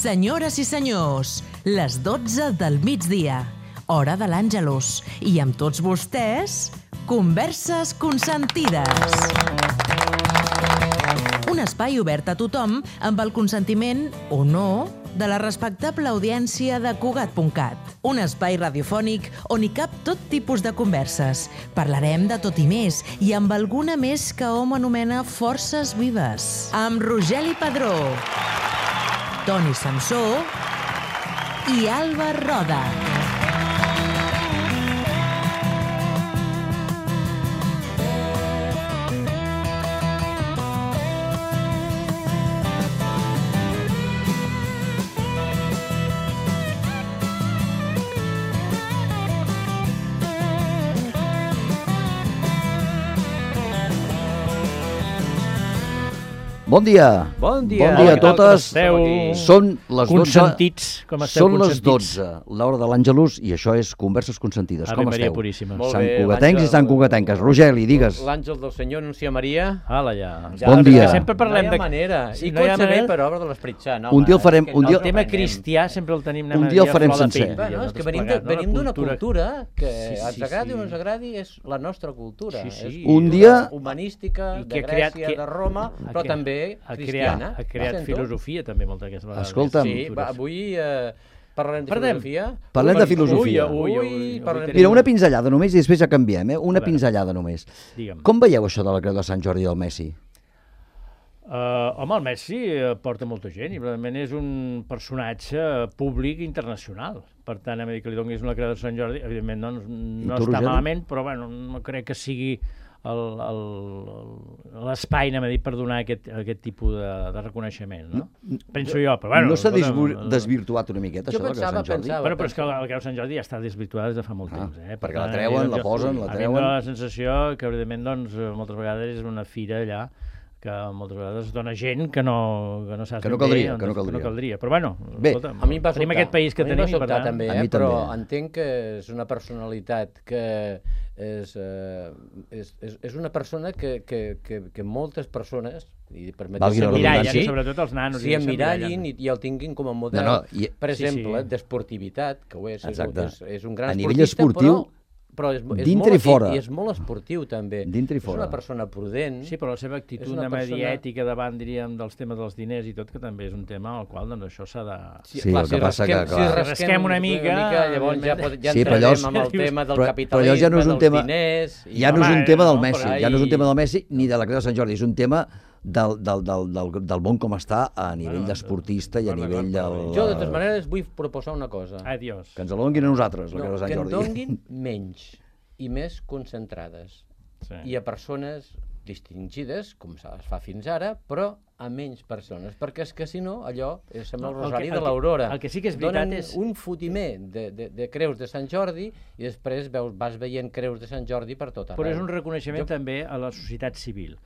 Senyores i senyors, les 12 del migdia, hora de l'Àngelus, i amb tots vostès, Converses Consentides. Un espai obert a tothom amb el consentiment, o no, de la respectable audiència de Cugat.cat. Un espai radiofònic on hi cap tot tipus de converses. Parlarem de tot i més, i amb alguna més que hom anomena forces vives. Amb Rogeli Padró, Toni Samsó i Alba Roda. Bon dia. Bon dia. Bon dia a totes. Són les 12. Consentits, com esteu Són les consentits? 12, l'hora de l'Àngelus, i això és Converses Consentides. Ave Com Maria esteu? Puríssima. Molt Sant bé, Cugatencs i l'àngel- Sant Cugatenques. Rogeli, digues. L'àngel del Senyor anuncia Maria. Ala, ja. Bon dia. Sempre parlem No hi ha manera. Sí, I no hi ha concebé manera. per obra de l'Esperit Sant. Un dia el farem- un dia- El tema cristià sempre el tenim... Un dia el farem sencer. Bueno, és que venim d'una cultura que ens agradi o no ens agradi, és la nostra cultura. Sí, sí. És Un dia- humanística, I de que ha creat- Grècia, que- de Roma, ha però creat- també ha cristiana. creat Sento? filosofia també moltes vegades. Escolta'm. Sí, va, avui parlarem de Parlem. filosofia. Parlem de filosofia. Ui, parlarem Mira, una pinzellada només i després ja canviem, eh? Una A veure. pinzellada només. Digue'm. Com veieu això de la creu de Sant Jordi del Messi? Home, el Messi porta molta gent i realment és un personatge públic internacional. Per tant, a dir que li donis una creu de Sant Jordi, evidentment no tu, està Rogeli? malament, però bueno, no crec que sigui l'espai, anem a dir, per donar aquest tipus de reconeixement, no? Penso jo, però bueno... No s'ha escolta'm, desvirtuat una miqueta, Jo això de la creu de Sant Jordi? pensava- Bueno, però és que la creu de Sant Jordi ja està desvirtuada des de fa molt temps, eh? perquè la treuen, la posen, la A mi em treuen. dóna la sensació que, evidentment, doncs, moltes vegades és una fira allà que moltes vegades dona gent que no saps Que no ben bé caldria, on- que no caldria. Però bueno, Bé, escolta, A mi em va tenim sobtar. aquest país que A mi em tenim va i per sobtar tant... també, A mi però també. entenc que és una personalitat que és una persona que moltes persones, i permeteu Valgui la S'emmirallen, redundància. sobretot els nanos. s'hi emmirallin i el tinguin com a model, No, no, per sí, exemple, sí. d'esportivitat, que ho és, Exacte. és un gran A nivell esportista, esportiu, però és dintre i molt, fora. I és molt esportiu, també. Dintre i És fora. una persona prudent. Sí, però la seva actitud És una anem a dir, persona- ètica davant, diríem, dels temes dels diners i tot, que també és un tema al qual doncs, això s'ha de... Sí, el que passa que, clar. Si rasquem una mica, llavors ja, ja Sí, però entrarem allò- amb el tema del però capitalisme, allò ja no és un dels tema- diners... i- Ja no és un Home, tema del no, Messi, però ja no és un ahí- tema del Messi ni de la creu de Sant Jordi, és un tema del món com està a nivell Bueno, d'esportista i a d'acord, nivell del... Jo, de totes maneres, vull proposar una cosa. Adiós. Que ens la donin a nosaltres, la creu de Sant que en Jordi. donguin menys i més concentrades. Sí. I a persones distingides, com es fa fins ara, però a menys persones, perquè és que si no, allò sembla el No, el rosari que- de l'Aurora. el que sí que és veritat Donen és- un fotimer de creus de Sant Jordi i després vas veient creus de Sant Jordi per tot arreu. Però és un reconeixement Jo- també a la societat civil,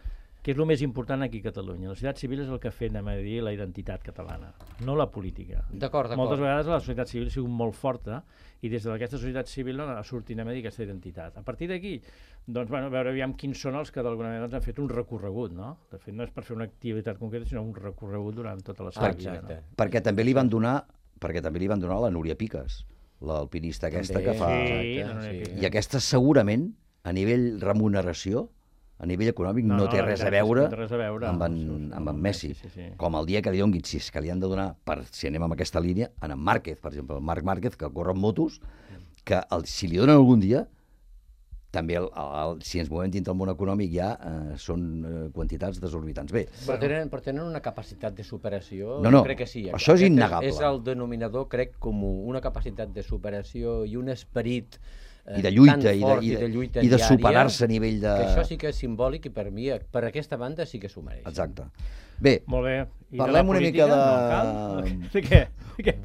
que és el més important aquí a Catalunya. La societat civil és el que ha fet, anem a dir, la identitat catalana, no la política. D'acord. Moltes vegades la societat civil ha sigut molt forta i des d'aquesta societat civil ha sortit, anem a dir, aquesta identitat. A partir d'aquí, doncs, bueno, a veure aviam quins són els que d'alguna manera doncs, han fet un recorregut, no? De fet, no és per fer una activitat concreta, sinó un recorregut durant tota la seva vida. Exacte. No? Perquè també li van donar a la Núria Piques, l'alpinista aquesta També, que fa... Sí, Exacte, no, no, sí. I aquesta segurament, a nivell remuneració, a nivell econòmic, no té la res a veritat és que veure no té res a veure amb amb en Messi. Sí, sí. Com el dia que li donguin, si és que li han de donar, si anem amb aquesta línia, en Márquez, per exemple, el Marc Márquez, que corre amb motos, que si li donen algun dia, també si ens movem dintre el món econòmic ja són quantitats desorbitants. Bé, Però tenen una capacitat de superació, No, no, crec que sí. això és Aquest innegable. És el denominador, crec, comú, una capacitat de superació i un esperit i de lluita, tan fort i de lluita i de diària, superar-se a nivell de... que això sí que és simbòlic i per mi, per aquesta banda sí que s'ho mereix. Exacte. Bé, Molt bé. I Parlem de la una política, mica de- no cal? De què?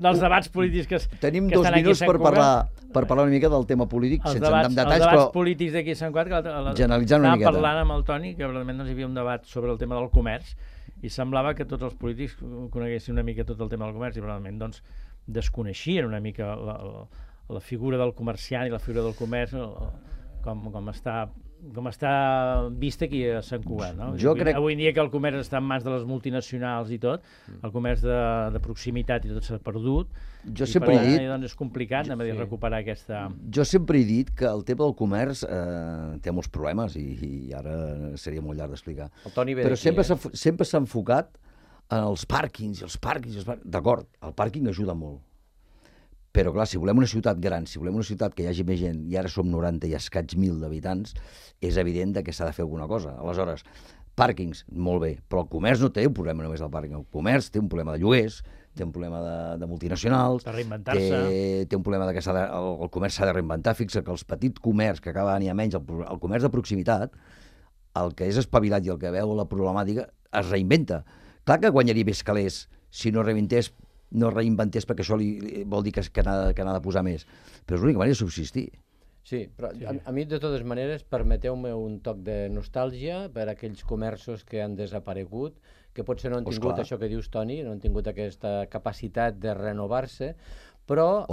Dels debats polítics que tenim que 2 estan aquí a minuts Sant per parlar una mica del tema polític, Els sense entrar en debats, detalls, els debats però polítics d'aquí a Sant Cugat, que generalitzant una miqueta. Estàvem parlant amb el Toni, que realment doncs, hi havia un debat sobre el tema del comerç, i semblava que tots els polítics coneguessin una mica tot el tema del comerç, i realment doncs, desconeixien una mica la figura del comerciant i la figura del comerç, com està està vist aquí a Sant Cugat, no? Jo crec... Avui en dia que el comerç està en mans de les multinacionals i tot, el comerç de proximitat i tot s'ha perdut, Jo sempre he dit... Doncs és complicat recuperar aquesta... Jo sempre he dit que el tema del comerç té molts problemes i ara seria molt llarg d'explicar. Però sempre s'ha enfocat en els pàrquings i els pàrquings. D'acord, el pàrquing ajuda molt. Però, clar, si volem una ciutat gran, si volem una ciutat que hi hagi més gent, i ara som 90 i escaig 1.000 d'habitants, és evident que s'ha de fer alguna cosa. Aleshores, pàrquings, molt bé, però el comerç no té un problema només al pàrquing. El comerç té un problema de lloguers, té un problema de multinacionals, de reinventar-se, té un problema que el comerç s'ha de reinventar. Fixa que els petits comerç, que cada any hi ha menys, el comerç de proximitat, el que és espavilat i el que veu la problemàtica, es reinventa. Clar que guanyaria més calés si no reinventés, perquè això vol dir que n'ha de posar més. Però és l'única manera de subsistir. Sí, però a mi, de totes maneres, permeteu-me un toc de nostàlgia per a aquells comerços que han desaparegut, que potser no han tingut això que dius, Toni, no han tingut aquesta capacitat de renovar-se, però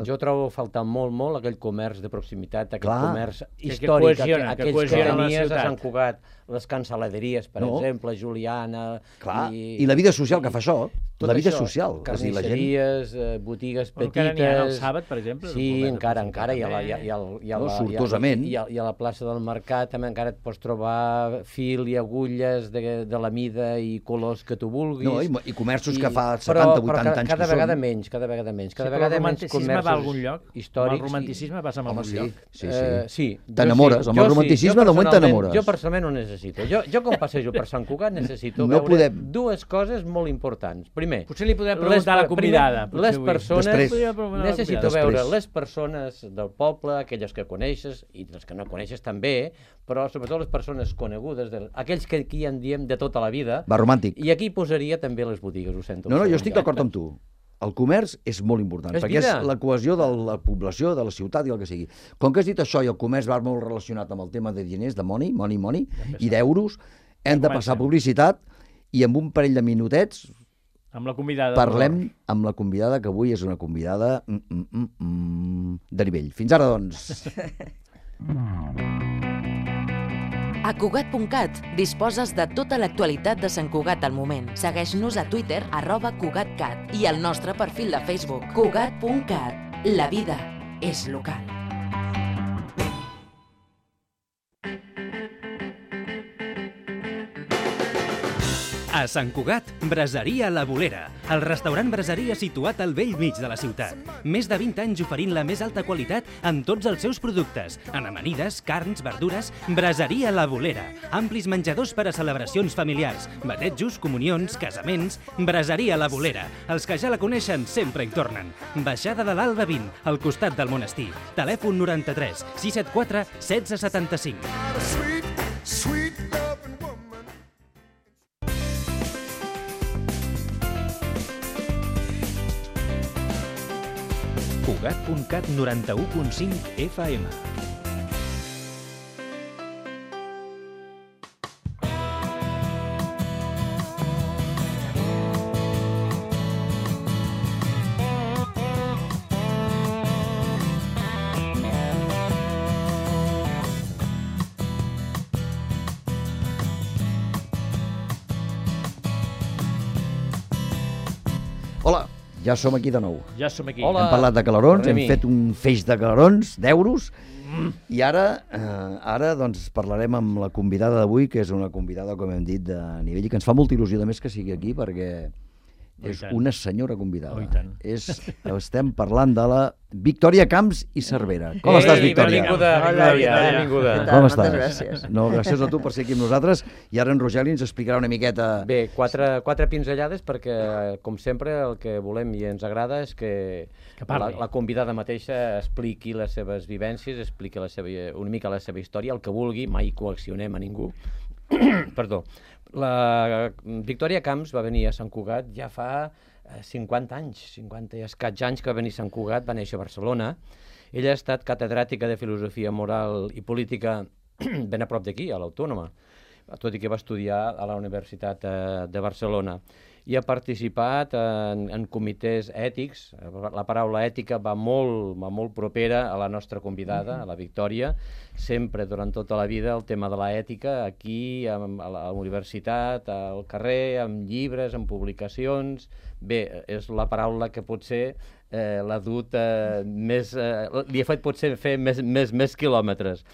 jo trobo faltar molt aquell comerç de proximitat, aquell comerç històric, aquells que tenies a Sant Cugat, les cansaladeries, per exemple, Juliana... I la vida social que fa això, la vida social. Carnisseries, botigues petites... Encara n'hi ha el Sàbat, per exemple. Sí, encara, sortosament. I a la plaça del Mercat també encara et pots trobar fil i agulles de la mida i colors que tu vulguis. I comerços que fa 70-80 anys que són. Cada vegada menys. Però el romanticisme va a algun lloc? El romanticisme passa a algun lloc? Sí. T'enamores, amb el romanticisme de moment t'enamores. Jo personalment ho necessito. Jo quan passejo per Sant Cugat necessito veure dues coses molt importants. Primer, potser li podem preguntar a la convidada. Les persones, necessito veure les persones del poble, aquelles que coneixes i les que no coneixes també, però sobretot les persones conegudes, aquells que aquí en diem de tota la vida. Va romàntic. I aquí posaria també les botigues, ho sento. No, jo estic d'acord amb tu. El comerç és molt important, perquè és la cohesió de la població, de la ciutat i el que sigui. Com que has dit això i el comerç va molt relacionat amb el tema de diners, de money, i d'euros, hem de passar publicitat i amb un parell de minutets parlem amb la convidada, que avui és una convidada de nivell. Fins ara, doncs. A Cugat.cat disposes de tota l'actualitat de Sant Cugat al moment. Segueix-nos a Twitter, @CugatCat, i al nostre perfil de Facebook, Cugat.cat. La vida és local. A Sant Cugat, Braseria La Bolera, el restaurant braseria situat al vell mig de la ciutat. Més de 20 anys oferint la més alta qualitat en tots els seus productes, en amanides, carns, verdures. Braseria La Bolera, amplis menjadors per a celebracions familiars, batejos, comunions, casaments. Braseria La Bolera, els que ja la coneixen sempre hi tornen. Baixada de l'Alba 20, al costat del monestir. Telèfon 93 674 1675. Cugat.cat 91.5 FM. Hola, ja som aquí de nou. Ja som aquí. Hem parlat de calarons, hem fet un feix de calarons, d'euros, i ara doncs, parlarem amb la convidada d'avui, que és una convidada, com hem dit, de nivell, i que ens fa molta il·lusió de més que sigui aquí, perquè és una senyora convidada. Estem parlant de la Victòria Camps i Cervera. Com estàs, Victòria? Benvinguda. Com estàs? Moltes gràcies. No, gràcies a tu per ser aquí amb nosaltres, i ara en Rogeli ens explicarà una miqueta... Bé, quatre pinzellades, perquè, com sempre, el que volem i ens agrada és que la convidada mateixa expliqui les seves vivències, expliqui una mica la seva història, el que vulgui, mai coaccionem a ningú. Perdó. La Victòria Camps va venir a Sant Cugat ja fa 50 anys, 50 i escaig anys que va venir a Sant Cugat, va néixer a Barcelona. Ella ha estat catedràtica de Filosofia Moral i Política ben a prop d'aquí, a l'Autònoma, tot i que va estudiar a la Universitat de Barcelona. i ha participat en comitès ètics. La paraula ètica va molt propera a la nostra convidada, a la Victòria. Sempre, durant tota la vida, el tema de l'ètica, aquí, a la universitat, al carrer, amb llibres, amb publicacions. Bé, és la paraula que potser l'ha dut més... li ha fet potser fer més quilòmetres.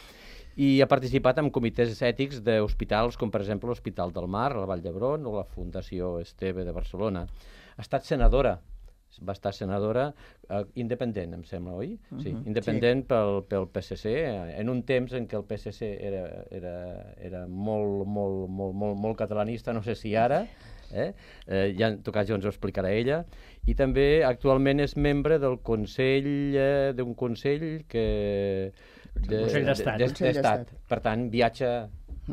I ha participat en comitès ètics d'hospitals, com per exemple l'Hospital del Mar, a la Vall d'Hebron, o la Fundació Esteve de Barcelona. Ha estat senadora, va estar senadora independent, em sembla, oi? Sí, independent pel PSC, en un temps en què el PSC era molt catalanista, no sé si ara, ja en tot cas ja ens ho explicarà ella, i també actualment és membre del Consell, d'un Consell que... Consell d'Estat. Per tant, viatja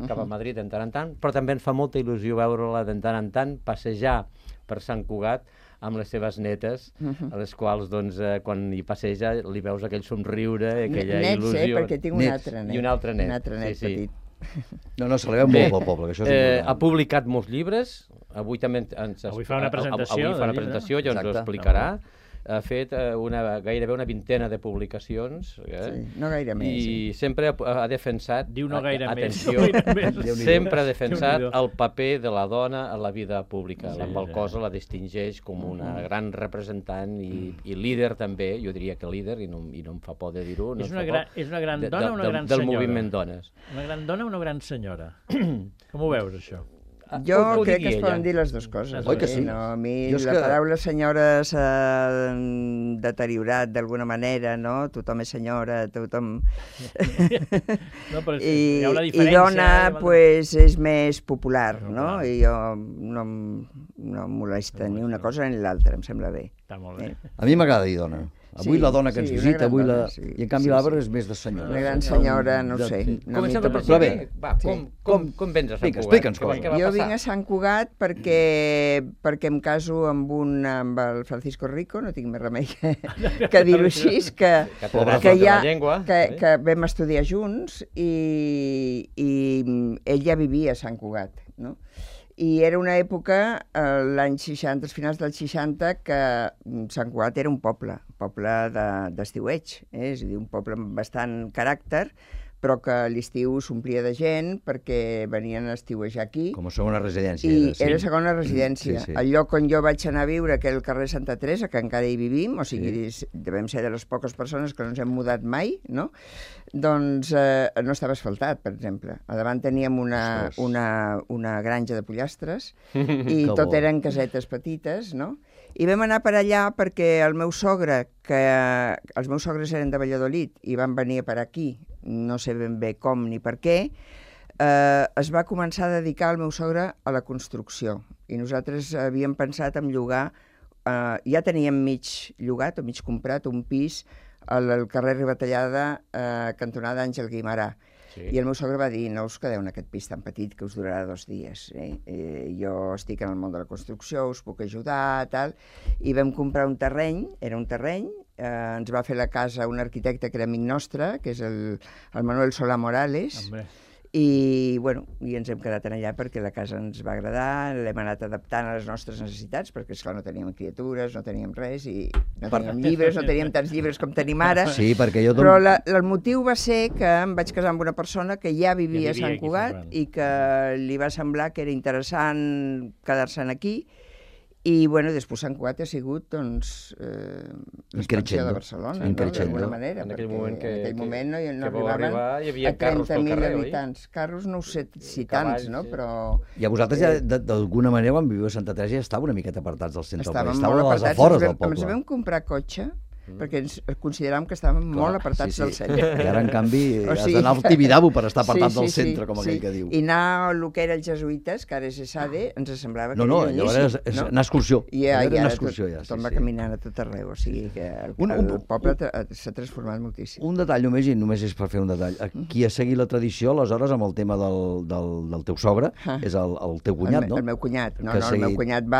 cap a Madrid de tant en tant, però també ens fa molta il·lusió veure-la de tant en tant passejar per Sant Cugat amb les seves netes, a les quals, doncs, quan hi passeja, li veus aquell somriure, aquella il·lusió. Perquè tinc un altre net. I un altre net. Un altre net petit. No, se li veu molt pel poble, que això és important. Ha publicat molts llibres, avui també Avui fa una presentació. Avui fa una presentació, ja ens ho explicarà. Ha fet gairebé una vintena de publicacions. No gaire més. I sempre ha defensat... Diu no gaire atenció, més. Sempre ha defensat el paper de la dona a la vida pública, la qual cosa la distingeix com una gran representant i líder també, jo diria que líder, i no em fa por de dir-ho. És una gran dona o una gran senyora? Del moviment dones. Una gran dona o una gran senyora? Com ho veus, això? Jo crec que es poden dir les dues coses. Oi que sí? No, a mi la paraula senyora s'ha deteriorat d'alguna manera, no? Tothom és senyora, tothom... I dona, pues, és més popular, no? I jo no em molesta ni una cosa ni l'altra, em sembla bé. Està molt bé. A mi m'agrada dir dona. Avui la dona que ens visita, avui la... I en canvi l'Àlvar és més de senyora. Una gran senyora, no ho sé. Comencem per principi. Com vens a Sant Cugat? Explica'ns coses. Jo vinc a Sant Cugat perquè em caso amb el Francisco Rico, no tinc més remei que dir-ho així, que vam estudiar junts i ell ja vivia a Sant Cugat, no? I era una època, l'any 60, als finals dels 60, que Sant Cugat era un poble d'estiueig, és a dir, un poble amb bastant caràcter, però que a l'estiu s'omplia de gent perquè venien a estiuejar aquí. Com a segona residència. I era segona residència. El lloc on jo vaig anar a viure, que era el carrer Santa Teresa, que encara hi vivim, o sigui, devem ser de les poques persones que no ens hem mudat mai, no? Doncs no estava asfaltat, per exemple. A davant teníem una granja de pollastres i tot eren casetes petites, no? I vam anar per allà perquè el meu sogre, que els meus sogres eren de Valladolid i van venir per aquí, no sé ben bé com ni per què, es va començar a dedicar el meu sogre a la construcció. I nosaltres havíem pensat en llogar, ja teníem mig llogat o mig comprat un pis al carrer Ribatallada, cantonada Àngel Guimarà. I el meu sogre va dir, no us quedeu en aquest pis tan petit que us durarà 2 dies. Jo estic en el món de la construcció, us puc ajudar, tal. I vam comprar un terreny, era un terreny, ens va fer la casa un arquitecte que era amic nostre, que és el Manuel Solà Morales, i ens hem quedat allà perquè la casa ens va agradar, l'hem anat adaptant a les nostres necessitats, perquè esclar no teníem criatures, no teníem res, i no teníem llibres, no teníem tants llibres com tenim ara. Sí, perquè jo... Però el motiu va ser que em vaig casar amb una persona que ja vivia a Sant Cugat i que li va semblar que era interessant quedar-se'n aquí. I, després Sant Cugat ha sigut, doncs, l'expansió de Barcelona, d'alguna manera. En aquell moment no arribaven a 30.000 habitants. Carros no ho sé si tants, no? Però... I a vosaltres ja, d'alguna manera, quan viviu a Santa Teresa, ja estàveu una miqueta apartats del centre del país. Estàvem molt a les afores del poble. Ens vam comprar cotxe perquè ens consideràvem que estàvem molt apartats del centre. I ara, en canvi, has d'anar al Tibidabo per estar apartat del centre, com aquell que diu. I anar al que era els jesuïtes, que ara és ESADE, ens semblava que era llavors és anar a excursió. I ara tothom va caminant a tot arreu, o sigui que el poble s'ha transformat moltíssim. Un detall només, i només és per fer un detall. Qui ha seguit la tradició, aleshores, amb el tema del teu sogre, és el teu cunyat, no? El meu cunyat. No, el meu cunyat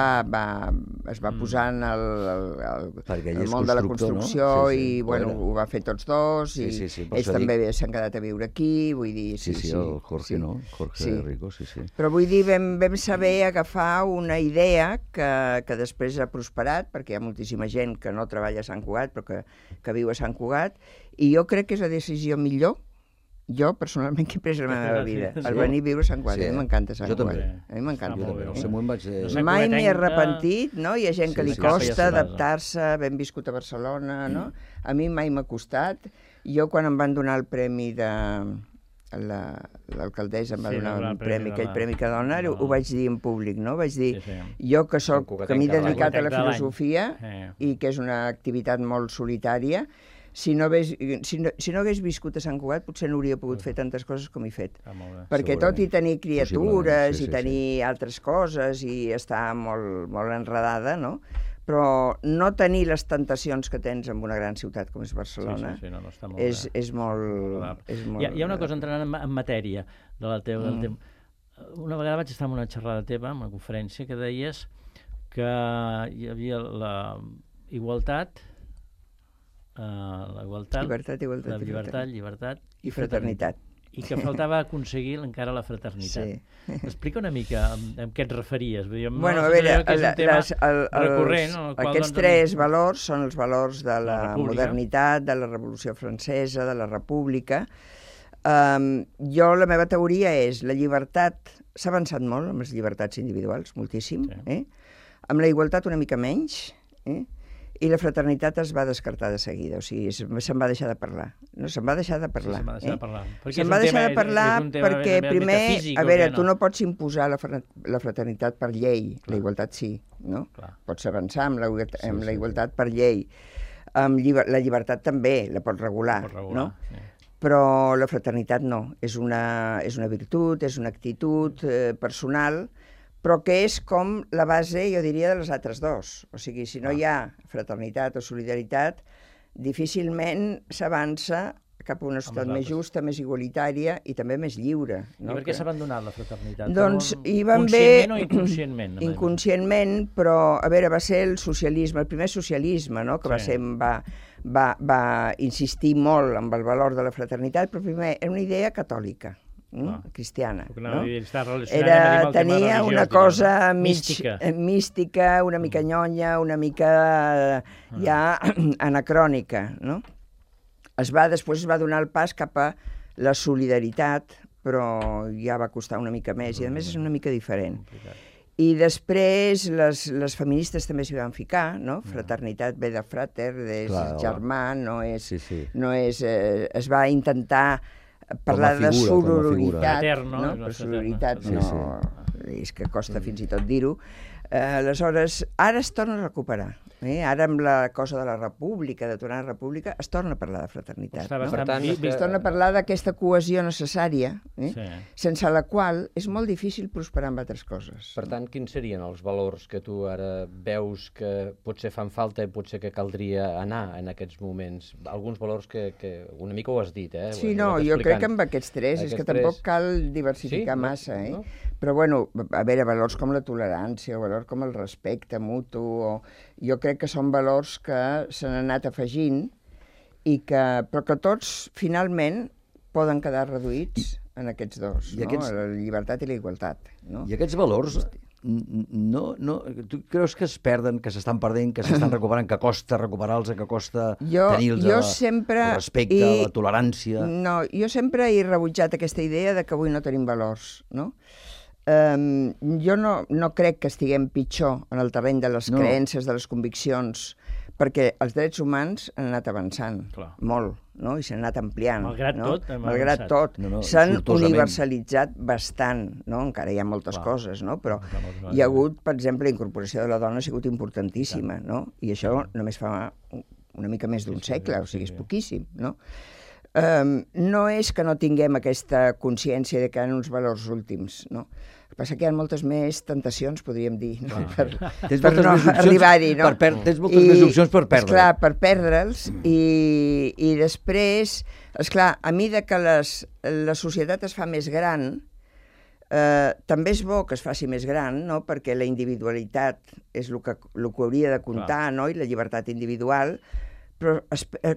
es va posar en el món de la construcció. Revolució i, bueno, ho va fer tots dos, i ells també s'han quedat a viure aquí, vull dir... Sí, el Jorge, no? Jorge Rico, sí. Però vull dir, vam saber agafar una idea que després ha prosperat, perquè hi ha moltíssima gent que no treballa a Sant Cugat, però que viu a Sant Cugat, i jo crec que és la decisió millor, jo personalment, que he pres la meva vida, el venir a viure a Sant Cugat. A mi m'encanta Sant Cugat. A mi m'encanta. Mai m'hi he arrepentit, no? Hi ha gent que li costa adaptar-se, ben viscut a Barcelona, no? A mi mai m'ha costat. Jo, quan em van donar el premi de... l'alcaldessa em va donar un premi, aquell premi que dona, ho vaig dir en públic, no? Vaig dir, jo que m'he dedicat a la filosofia i que és una activitat molt solitària, si no hagués viscut a Sant Cugat potser no hauria pogut fer tantes coses com he fet. Perquè tot i tenir criatures i tenir altres coses i estar molt enredada, no? Però no tenir les tentacions que tens en una gran ciutat com és Barcelona és molt... Hi ha una cosa, entrant en matèria de la teva... Una vegada vaig estar en una xerrada teva, en una conferència, que deies que hi havia la igualtat, llibertat i fraternitat. I que faltava aconseguir encara la fraternitat. Sí. Explica una mica amb què et referies. Bueno, a veure, aquests tres valors són els valors de la modernitat, de la Revolució Francesa, de la República. Jo, la meva teoria és la llibertat... S'ha avançat molt amb les llibertats individuals, moltíssim. Amb la igualtat una mica menys, i la fraternitat es va descartar de seguida, o sigui, se'n va deixar de parlar. No, se'n va deixar de parlar. Se'n va deixar de parlar perquè, primer, a veure, tu no pots imposar la fraternitat per llei, la igualtat sí, no? Pots avançar amb la igualtat per llei. La llibertat també la pots regular, no? Però la fraternitat no. És una virtut, és una actitud personal, però que és com la base, jo diria, de les altres dos. O sigui, si no hi ha fraternitat o solidaritat, difícilment s'avança cap a una societat més justa, més igualitària i també més lliure. I per què s'ha abandonat la fraternitat? Doncs hi van haver... Conscientment o inconscientment? Inconscientment, però, a veure, va ser el socialisme, el primer socialisme, no?, que va insistir molt en el valor de la fraternitat, però primer era una idea catòlica. Cristiana, no? Tenia una cosa mística, una mica nyonya, una mica ja anacrònica, no? Després es va donar el pas cap a la solidaritat, però ja va costar una mica més, i a més és una mica diferent. I després les feministes també s'hi van ficar, no? Fraternitat ve de frater, de germà, no és... Es va intentar parlar de sororitat, no? Però sororitat no, és que costa fins i tot dir-ho. Aleshores, ara es torna a recuperar. Ara amb la cosa de la república, de tornar a la república, es torna a parlar de fraternitat. Per tant, es torna a parlar d'aquesta cohesió necessària, sense la qual és molt difícil prosperar amb altres coses. Per tant, quins serien els valors que tu ara veus que potser fan falta i potser que caldria anar en aquests moments? Alguns valors que una mica ho has dit, Sí, no, jo crec que amb aquests tres, és que tampoc cal diversificar massa, Però, bueno, a veure, valors com la tolerància, o valors com el respecte mutu, jo crec que són valors que s'han anat afegint, però que tots, finalment, poden quedar reduïts en aquests dos, la llibertat i la igualtat. I aquests valors, tu creus que es perden, que s'estan perdent, que s'estan recuperant, que costa recuperar-los, que costa tenir-los, el respecte, la tolerància? No, jo sempre he rebutjat aquesta idea de que avui no tenim valors, no? Jo no crec que estiguem pitjor en el terreny de les creences, de les conviccions, perquè els drets humans han anat avançant molt, no? I s'han anat ampliant. Malgrat tot. S'han universalitzat bastant, no? Encara hi ha moltes coses, no? Però hi ha hagut, per exemple, la incorporació de la dona ha sigut importantíssima, no? I això només fa una mica més d'un segle, o sigui, és poquíssim, no? No és que no tinguem aquesta consciència de que hi ha uns valors últims, no? El que passa que hi ha moltes més tentacions, podríem dir, no? Per no arribar-hi, no? Tens moltes més opcions per perdre. Esclar, per perdre'ls, i després, esclar, a mesura que la societat es fa més gran, també és bo que es faci més gran, no? Perquè la individualitat és el que hauria de comptar, no? I la llibertat individual, però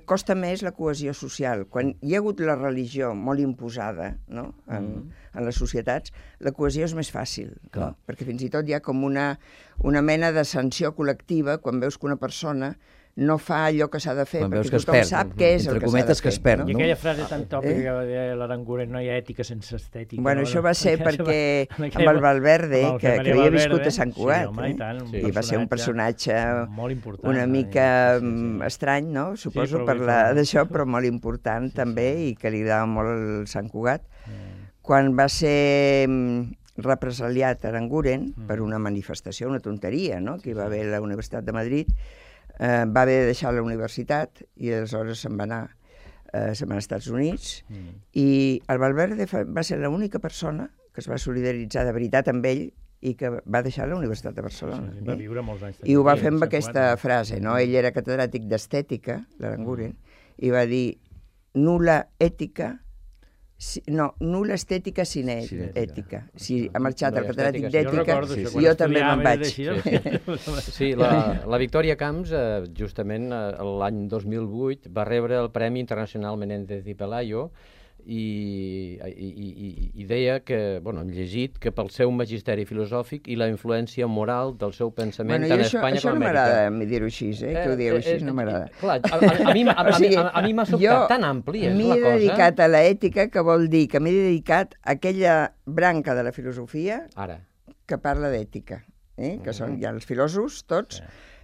costa més la cohesió social. Quan hi ha hagut la religió molt imposada, no?, en les societats, la cohesió és més fàcil, no? Perquè fins i tot hi ha com una mena de sanció col·lectiva quan veus que una persona no fa allò que s'ha de fer, perquè tothom sap què és el que s'ha de fer. Que es perd, I aquella frase tan tòpica que va dir l'Aranguren, no hi ha ètica sense estètica. Bueno, això va ser perquè amb el Valverde, que havia viscut a Sant Cugat, i va ser un personatge una mica estrany, no? Suposo, parlar d'això, però molt important també, i que li agradava molt el Sant Cugat. Quan va ser represaliat Aranguren per una manifestació, una tonteria, no?, que hi va haver a la Universitat de Madrid, va haver de deixar la universitat i aleshores se'n va anar als Estats Units i el Valverde va ser l'única persona que es va solidaritzar de veritat amb ell i que va deixar la Universitat de Barcelona. Va viure molts anys. I ho va fer amb aquesta frase, no? Ell era catedràtic d'estètica, l'Aranguren, i va dir nul·la estètica sin ètica. Si ha marxat el catedràtic d'ètica, jo també me'n vaig. Sí, la Victòria Camps, justament l'any 2008, va rebre el Premi Internacional Menéndez y Pelayo i deia que, bueno, hem llegit, que pel seu magisteri filosòfic i la influència moral del seu pensament tant a Espanya com a Amèrica. Això no m'agrada dir-ho així, que ho dieu així, no m'agrada. Clar, a mi m'ha sobtat tan ampli, és la cosa. M'he dedicat a l'ètica, que vol dir que m'he dedicat a aquella branca de la filosofia que parla d'ètica, que són ja els filòsofs tots.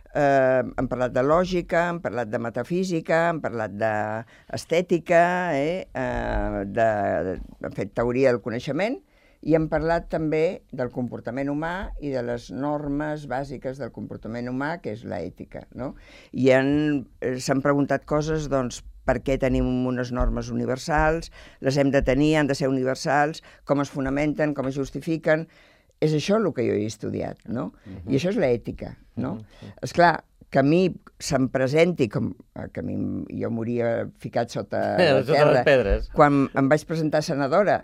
Hem parlat de lògica, hem parlat de metafísica, hem parlat d'estètica, hem fet teoria del coneixement i hem parlat també del comportament humà i de les normes bàsiques del comportament humà, que és l'ètica, no? I s'han preguntat coses, doncs, per què tenim unes normes universals, les hem de tenir, han de ser universals, com es fonamenten, com es justifiquen. És això el que jo he estudiat, no? I això és l'ètica, no? Esclar, que a mi se'm presenti com que jo moria ficat sota la terra. Quan em vaig presentar senadora,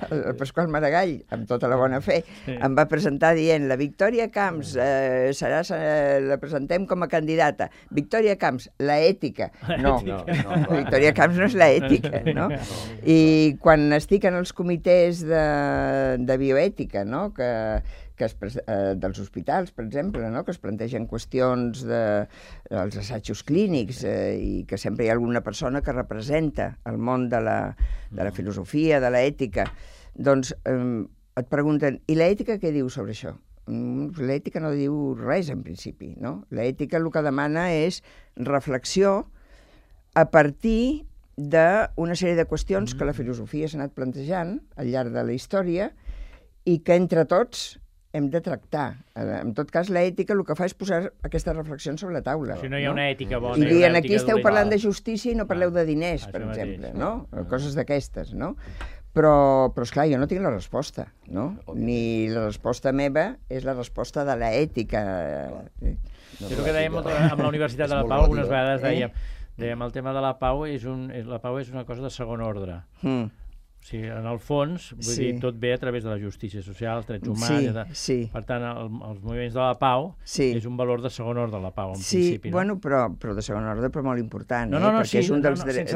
el Pasqual Maragall, amb tota la bona fe, em va presentar dient la Victòria Camps la presentem com a candidata. Victòria Camps, la ètica. No, Victòria Camps no és la ètica, no? I quan estic en els comitès de bioètica, no?, dels hospitals, per exemple, no?, que es plantegen qüestions dels assajos clínics i que sempre hi ha alguna persona que representa el món de la filosofia, de l'ètica, doncs et pregunten, i l'ètica què diu sobre això? L'ètica no diu res, en principi, no? L'ètica el que demana és reflexió a partir d'una sèrie de qüestions que la filosofia s'ha anat plantejant al llarg de la història i que entre tots hem de tractar. En tot cas, l'ètica el que fa és posar aquestes reflexions sobre la taula. Si no hi ha una ètica bona... I dient, aquí esteu parlant de justícia i no parleu de diners, per exemple, no? Coses d'aquestes, no? Però, esclar, jo no tinc la resposta, no? Ni la resposta meva és la resposta de l'ètica. És el que dèiem amb la Universitat de la Pau, algunes vegades dèiem el tema de la pau és una cosa de segon ordre. O sigui, en el fons, vull dir, tot ve a través de la justícia social, els drets humans... Per tant, els moviments de la pau és un valor de segon ordre, la pau, en principi. Sí, bueno, però de segon ordre, però molt important, perquè és un dels drets...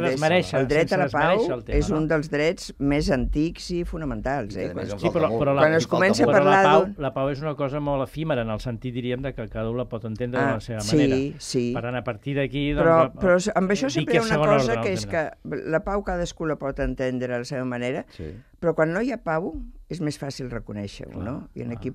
El dret a la pau és un dels drets més antics i fonamentals. Sí, però quan es comença a parlar... La pau és una cosa molt efímera, en el sentit, diríem, que cada un la pot entendre de la seva manera. Per tant, a partir d'aquí... Però amb això sempre hi ha una cosa, que és que la pau cadascú la pot entendre a la seva manera, però quan no hi ha pau és més fàcil reconèixer-ho, no? I aquí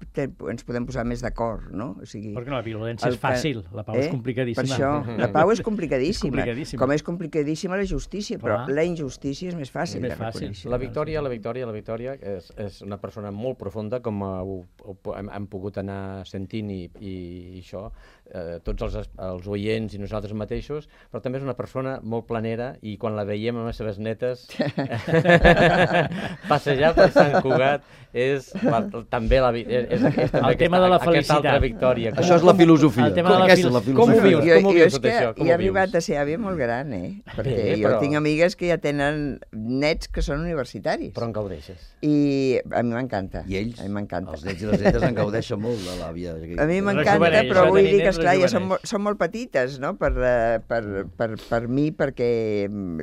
ens podem posar més d'acord, no? O sigui, perquè la violència és fàcil, la pau és complicadíssima. Per això, la pau és complicadíssima, com és complicadíssima la justícia, però la injustícia és més fàcil de reconèixer. La Victòria és una persona molt profunda, com hem pogut anar sentint i això, tots els oients i nosaltres mateixos, però també és una persona molt planera i quan la veiem amb les seves netes passejar per Sant Cugat és també el tema de la felicitat. Aquesta altra victòria. Això és la filosofia. Com ho vius? Com ho vius tot això? Jo he arribat a ser àvia molt gran, perquè jo tinc amigues que ja tenen nets que són universitaris. Però en gaudeixes. I a mi m'encanta. I ells, els nets i les netes, en gaudeixen molt de l'àvia. A mi m'encanta, però vull dir que, esclar, ja són molt petites, no?, per mi, perquè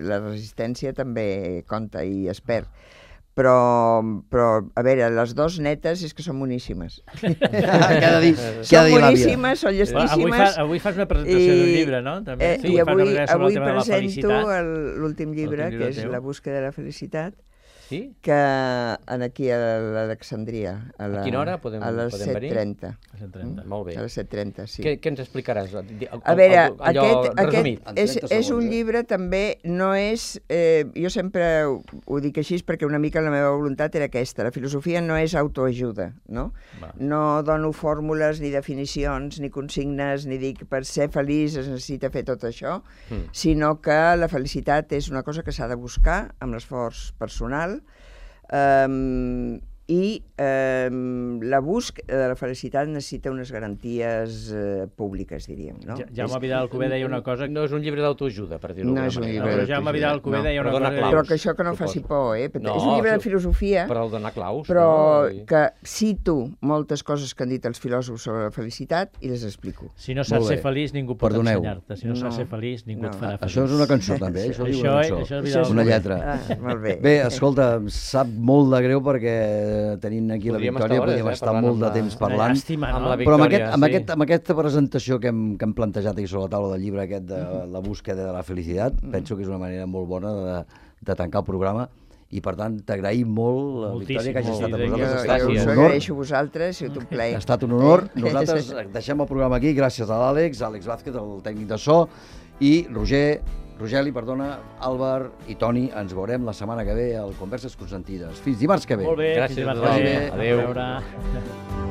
la resistència també compta i es perd. Però, a veure, les dues netes és que són boníssimes. Són boníssimes, són llestíssimes. Avui fas una presentació d'un llibre, no? I avui presento l'últim llibre, que és La búsqueda de la felicitat, que aquí a l'Alexandria. A quina hora podem venir? A les 7:30. Molt bé. A les 7:30, sí. Què ens explicaràs? A veure, aquest és un llibre també, no és... Jo sempre ho dic així perquè una mica la meva voluntat era aquesta. La filosofia no és autoajuda, no? No dono fórmules, ni definicions, ni consignes, ni dic per ser feliç es necessita fer tot això, sinó que la felicitat és una cosa que s'ha de buscar amb l'esforç personal, i la búsqueda de la felicitat necessita unes garanties públiques, diríem, no? Jaume Vidal Alcover deia una cosa... No és un llibre d'autoajuda, per dir-ho d'alguna manera. No és un llibre d'autoajuda. Jaume Vidal Alcover deia una cosa... Però que això que no faci por, És un llibre de filosofia... Però el donar claus, però que cito moltes coses que han dit els filòsofs sobre la felicitat i les explico. Si no saps ser feliç, ningú pot ensenyar-te. Si no saps ser feliç, ningú et farà feliç. Això és una cançó, també. Això és una lletra. Molt bé. Bé, escolta, em sap molt de greu perquè tenint aquí la Victòria podríem estar molt de temps parlant. Llàstima, no? Però amb aquesta presentació que hem plantejat aquí sobre la taula del llibre aquest de La búsqueda de la felicitat, penso que és una manera molt bona de tancar el programa i per tant t'agraïm molt, Victòria, que hagis estat amb nosaltres. Jo us agraeixo a vosaltres, ha sigut un plaer. Ha estat un honor. Nosaltres deixem el programa aquí gràcies a l'Àlex Vázquez, el tècnic de so, i Rogeli, Àlvar i Toni. Ens veurem la setmana que ve al Converses Consentides. Fins dimarts que ve. Molt bé, gràcies. Adéu. Adéu.